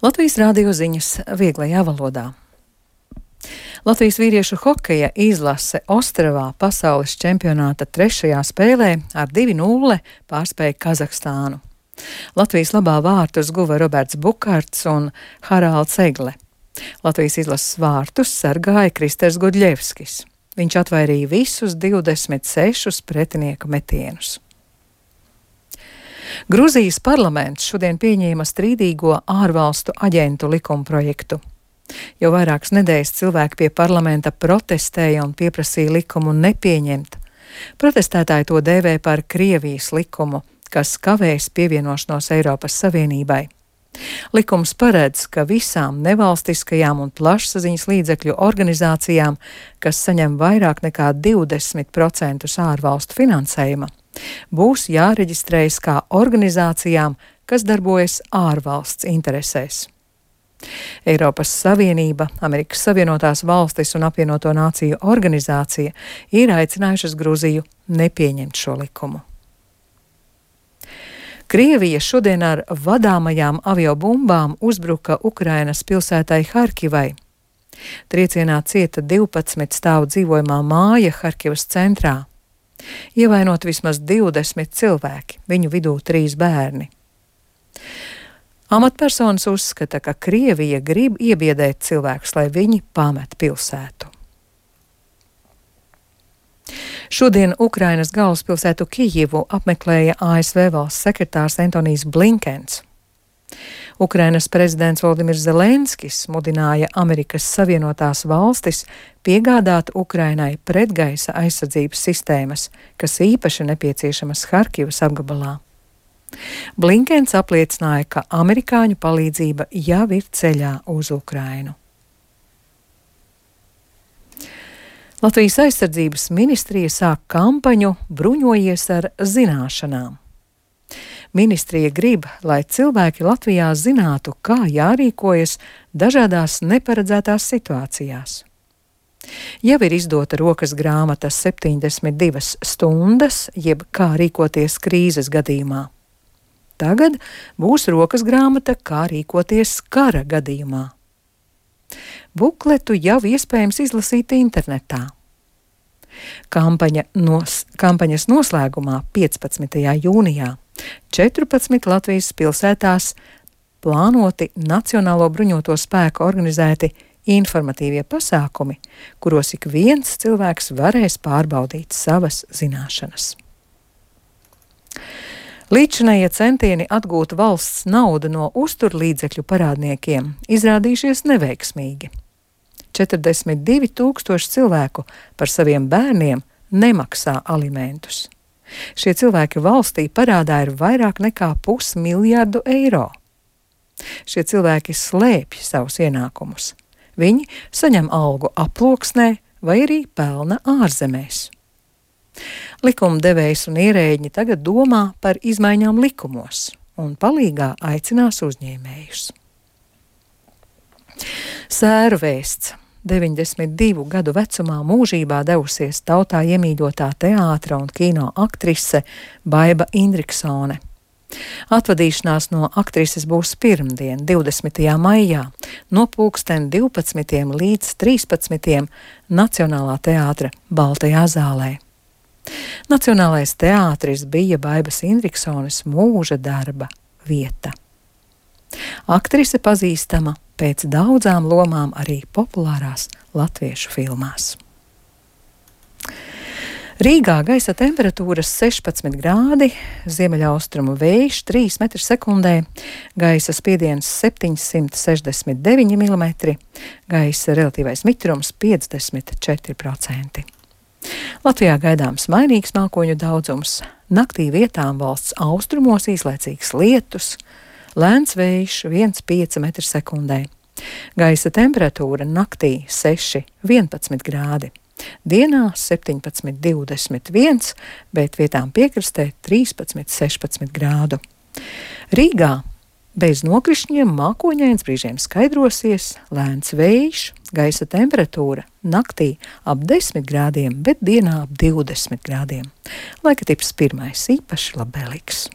Latvijas rādio ziņas vieglajā valodā. Latvijas vīriešu hokeja izlase Ostravā pasaules čempionāta 3. spēlē ar 2-0 pārspēja Kazahstānu. Latvijas labā vārtus guva Roberts Bukarts un Haralds Egle. Latvijas izlases vārtus sargāja Kristers Gudļevskis. Viņš atvairīja visus 26 pretinieku metienus. Gruzijas parlaments šodien pieņēma strīdīgo ārvalstu aģentu likumprojektu. Jau vairākas nedēļas cilvēki pie parlamenta protestēja un pieprasīja likumu nepieņemt. Protestētāji to dēvē par Krievijas likumu, kas kavēs pievienošanos Eiropas Savienībai. Likums paredz, ka visām nevalstiskajām un plašsaziņas līdzekļu organizācijām, kas saņem vairāk nekā 20% ārvalstu finansējuma, būs jāreģistrējas kā organizācijām, kas darbojas ārvalsts interesēs. Eiropas Savienība, Amerikas Savienotās valstis un Apvienoto Nāciju organizācija ir aicinājušas Gruziju nepieņemt šo likumu. Krievija šodien ar vadāmajām aviobumbām uzbruka Ukrainas pilsētai Harkivai. Triecienā cieta 12 stāvu dzīvojamā māja Harkivas centrā. Ievainoti vismaz 20 cilvēki, viņu vidū 3 bērni. Amatpersonas uzskata, ka Krievija grib iebiedēt cilvēkus, lai viņi pamet pilsētu. Šodien Ukrainas galvaspilsētu Kijivu apmeklēja ASV valsts sekretārs Antonijs Blinkens. Ukrainas prezidents Volodimirs Zelenskis mudināja Amerikas Savienotās valstis piegādāt Ukrainai pretgaisa aizsardzības sistēmas, kas īpaši nepieciešamas Harkivas apgabalā. Blinkens apliecināja, ka amerikāņu palīdzība jau ir ceļā uz Ukrainu. Latvijas aizsardzības ministrija sāk kampaņu Bruņojies ar zināšanām. Ministrija grib, lai cilvēki Latvijā zinātu, kā jārīkojas dažādās neparedzētās situācijās. Jau ir izdota rokas grāmata 72 stundas, jeb kā rīkoties krīzes gadījumā. Tagad būs rokas grāmata, kā rīkoties kara gadījumā. Bukletu jau iespējams izlasīt internetā. Kampaņas noslēgumā 15. jūnijā 14 Latvijas pilsētās plānoti Nacionālo bruņoto spēku organizēti informatīvie pasākumi, kuros ik viens cilvēks varēs pārbaudīt savas zināšanas. Līdzinējie centieni atgūt valsts naudu no uzturlīdzekļu parādniekiem izrādījušies neveiksmīgi. 42 000 cilvēku par saviem bērniem nemaksā alimentus. Šie cilvēki valstī parādā ir vairāk nekā 500 miljardu eiro. Šie cilvēki slēpj savus ienākumus. Viņi saņem algu aploksnē vai arī pelna ārzemēs. Likumdevējs un ierēģi tagad domā par izmaiņām likumos un palīgā aicinās uzņēmējus. Sēru vēsts. 92 gadu vecumā mūžībā devusies tautā iemīļotā teātra un kino aktrise Baiba Indriksone. Atvadīšanās no aktrises būs pirmdien, 20. maijā, no 12. līdz 13. Nacionālā teātra Baltajā zālē. Nacionālais teātris bija Baibas Indriksones mūža darba vieta. Aktrise pazīstama pēc daudzām lomām arī populārās latviešu filmās. Rīgā gaisa temperatūras 16 grādi, ziemeļaustrumu vējš 3 m/sekundē, gaisa spiediens 769 mm, gaisa relatīvais mitrums 54%. Latvijā gaidāms mainīgs mākoņu daudzums, naktī vietām valsts austrumos īslaicīgs lietus, lēns vējš 1,5 m/sekundē. Gaisa temperatūra naktī 6,11 grādi. Dienā 17,21, bet vietām piekrastē 13,16 grādu. Rīgā bez nokrišņiem mākoņains, brīžiem skaidrosies, lēns vējš, gaisa temperatūra naktī ap 10 grādiem, bet dienā ap 20 grādiem. Laika tips 1. īpaši labvēlīgs.